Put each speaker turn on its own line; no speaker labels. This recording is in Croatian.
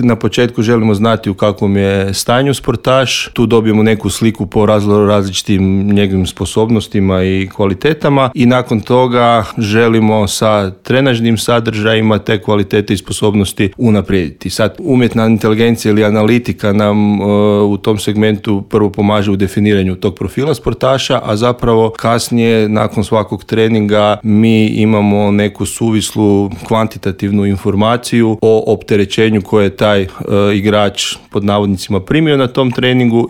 Na početku želimo znati u kakvom je stanju sportaš, tu dobijemo neku sliku po različitim njegovim sposobnostima i kvalitetama i nakon toga želimo sa trenažnim sadržajima te kvalitete i sposobnosti unaprijediti. Sad, umjetna inteligencija ili analitika nam u tom segmentu prvo pomaže u definiranju tog profila sportaša, a zapravo kasnije nakon svakog treninga mi imamo neku suvislu kvantitativnu informaciju o opterećenju koje je taj igrač pod navodnicima primio na tom treningu